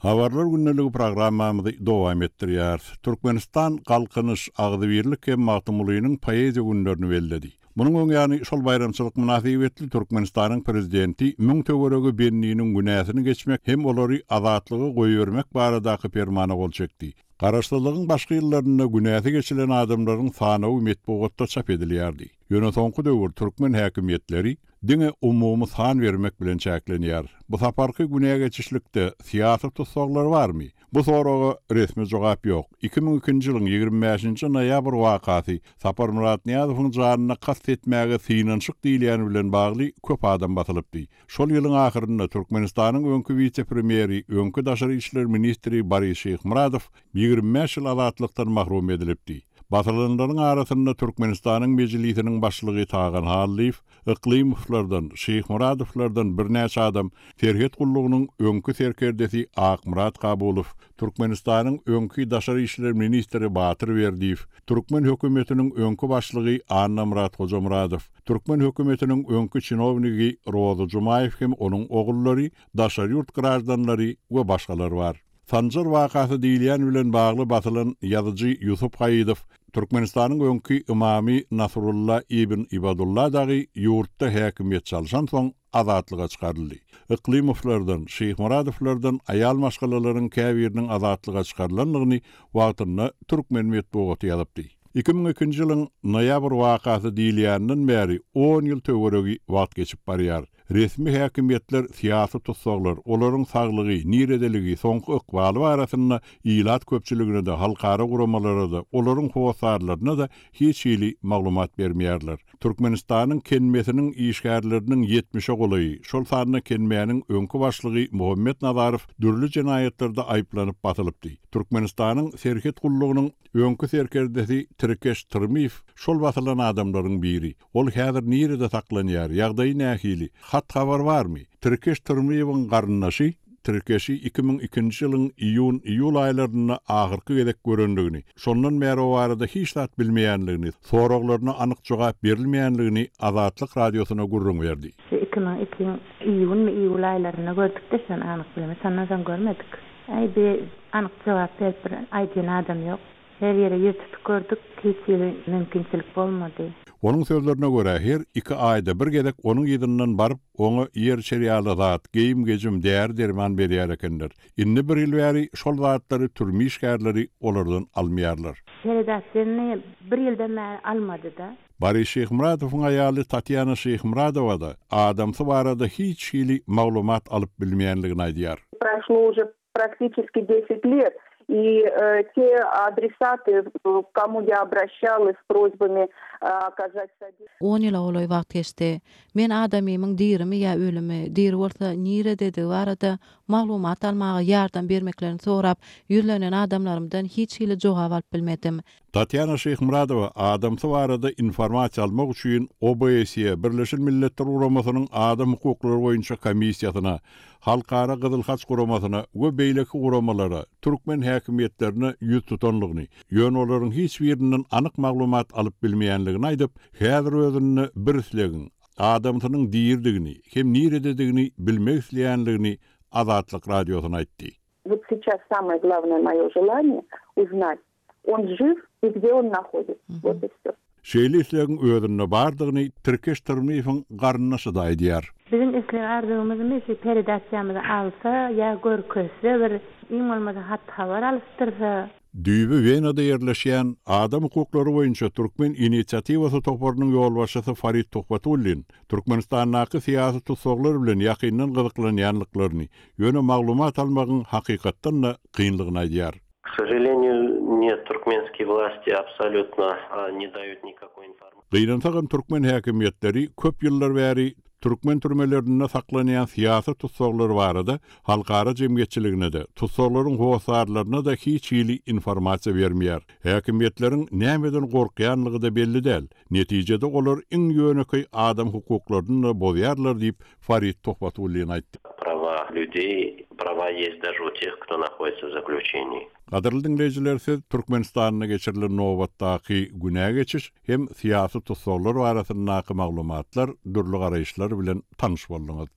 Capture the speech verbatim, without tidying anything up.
Habarlar gündeligi programmamyzy dowam etdirýär. Türkmenistan Galkynyş Agzybirlik hem Magtymgulynyň poeziýa günlerini belledi. Munuň öň ýany şol baýramçylyk mynasybetli Türkmenistanyň prezidenti müň töweregi bendiniň günäsini geçmek hem olary azatlyga goýbermek baradaky permana gol çekdi. Garaşsyzlygyň başky ýyllarynda günäsi geçilen adamlaryň sanawy metbugatda çap edilýärdi. Ýöne soňky döwür türkmen häkimiýetleri diňe umumy san bermek bilen çäklenýär. Bu saparky günä geçişlikde syýasy tussaglar barmy? Bu soraga resmi jogap ýok. iki müň ikinji ýylyň ýigrimi bäşinji noýabr wakasy Saparmyrat Nyýazowyň janyna kast etmäge synanyşyk diýilýän bilen bagly köp adam basylypdy. Şol ýylyň ahyrynda Türkmenistanyň öňki wise-premýeri, öňki daşary işler ministri Boris Şyhmyradow ýigrimi bäş ýyl azatlykdan mahrum edilipdi. Basylanlaryň arasynda Türkmenistanyň Mejlisiniň başlygy Tagan Hallyýew, Yklymowlardan, Şyhmyradowlardan birnäçe adam, Serhet gullugynyň öňki serkerdesi Akmyrat Kabulow, Türkmenistanyň öňki daşary işler ministri Batyr Berdiýew, Türkmen hökümetiniň öňki başlygy Annamyrat Hojamyradow, Türkmen hökümetiniň öňki çinownigi Rozy Jumaýew hem onuň ogullary, daşary ýurt graždanlary we başgalar bar. Sanjar wakasy diýilýän bilen bagly basylan ýazyjy Ýusup Haýydow, Türkmenistanyň öňki imamy Nasrulla ibn Ibadulla dagy ýurtda häkimiýet çalşan soň azatlyga çykaryldy. Yklymowlardan, Şyhmyradowlardan aýal maşgalalaryň käbiriniň azatlyga çykarylandygyny wagtynda türkmen metbugaty ýazypdy. iki müň ikinji ýylyň noýabr wakasy diýilýänden bäri on ýyl töweregi wagt geçip barýar. Resmi häkimiýetler syýasy tussaglar, olaryň saglygy, niredeligi, soňky ykbaly barasynda ilat köpçüligine-de, halkara guramalara-da, olaryň hossarlaryna-da hiç hili maglumat bermeýärler. Türkmenistanyň kenmesiniň işgärleriniň ýetmişe golaýy, şol sanda kenmäniň öňki başlygy Muhammet Nazarow dürli jenaýatlarda aýyplanyp basylypdy. Türkmenistanyň Serhet gullugynyň öňki serkerdesi Tirkeş Tyrmyýew şol basylan adamlaryň biri. Ol häzir nirede saklanýar, ýagdaýy nähili, hat habar barmy? Tirkeş Tyrmyýewiň garyndaşy Tirkeşi iki müň ikinji ýylyň iýun-iýul aýlarynda ahyrky gezek görendigini, şondan bäri o barada hiç zat bilmeýänligini, soraglaryna anyk jogap berilmeýänligini Azatlyk radiosyna gürrüň berdi. Iki müň iki iýun iýul aýlarynda gördük-de şony anyk bilmedim, şondan soň görmedik. Aý, bir anyk jogap berip bir aýdýan adam ýok. Her ýere ýüz tutup gördük, hiç hili mümkinçilik bolmady. Onuň sözlerine görä her iki aýda bir gezek onuň ýyzyndan baryp, oňa ýer çerýaly zat, geýim-gejim, däri-derman berýär ekenler. Indi bir ýyl bäri şol zatlary türme işgärleri olardan almaýarlar. Peredasyny bir ýyldan bäri almady-da. Boris Şyhmyradowyň aýaly Tatýana Şyhmyradowa da adamsy barada hiç hili maglumat alyp bilmeýänligini aýdýar. Prošlo уже практически десять лет, и, э, те adresaty, к кому я обращалась с просьбами, э, оказать содействие. On ýyla golaý wagt geçdi. Men adamymyň dirimi ýa ölümi, diri bolsa nirededigi barada maglumat almaga ýardam bermeklerini sorap, ýüzlenen adamlarymdan hiç hili jogap alyp bilmedim. Tatýana Şyhmyradowa adamsy barada informasiýa almak üçin O B S E Birleşen Milletler Guramasynyň Adam hukuklary boýunça komissiýasyna, Halkara Gyzyl Haç Guramasyna we beýleki guramalara, türkmen häkimiýetlerine ýüz tutanlygyny, ýöne olaryň hiç birinden anyk maglumat alyp bilmeýänligini aýdyp, häzir özünde bir islegiň, adamsynyň dirdigini, hem nirededigini bilmek isleýänligini Azatlyk radiosyna aýtdy. Вот сейчас самое главное мое желание узнать, он жив и где он находится. Вот и все. Şeýle islegiň özünde bardygyny Tirkeş Tyrmyýewiň garyndaşy da aýdýar. Biziň isleg arzuwymyz şu peredasyýamyzy alsa ýa görkezse bir iň bolmasa hat habar alyşdyrsa. Düýbi Wenada ýerleşýän Adam hukuklary boýunça Türkmen inisiatiwasy toparynyň ýolbaşçysy Farid Tuhbatullin Türkmenistandaky syýasy tussaglar bilen ýakyndan gyzyklanýanlyklaryny, ýöne maglumat almagyň hakykatdan da kynlygyny aýdýar. К сожалению, нет, туркменские власти абсолютно, а, не дают никакой информации. Gynansagam türkmen häkimiýetleri köp ýyllar bäri türkmen türmelerinde saklanýan syýasy tussaglar barada halkara jemgyýetçiligine de, tussaglaryň hossarlaryna da hiç hili informasiýa bermeýär. Häkimiýetleriň nämeden gorkýanlygy da belli däl. Netijede olar iň ýönekeý adam hukuklaryny da bozýarlar diýip Farid Tuhbatullin aýtdy. Права людей, права есть даже у тех, кто находится в заключении. Gadyrly diňleýjiler, siz Türkmenistanda geçirilen nobatdaky günä geçiş hem syýasy tussaglar barasyndaky maglumatlar, dürli garaýyşlar bilen tanyş bolduňyz.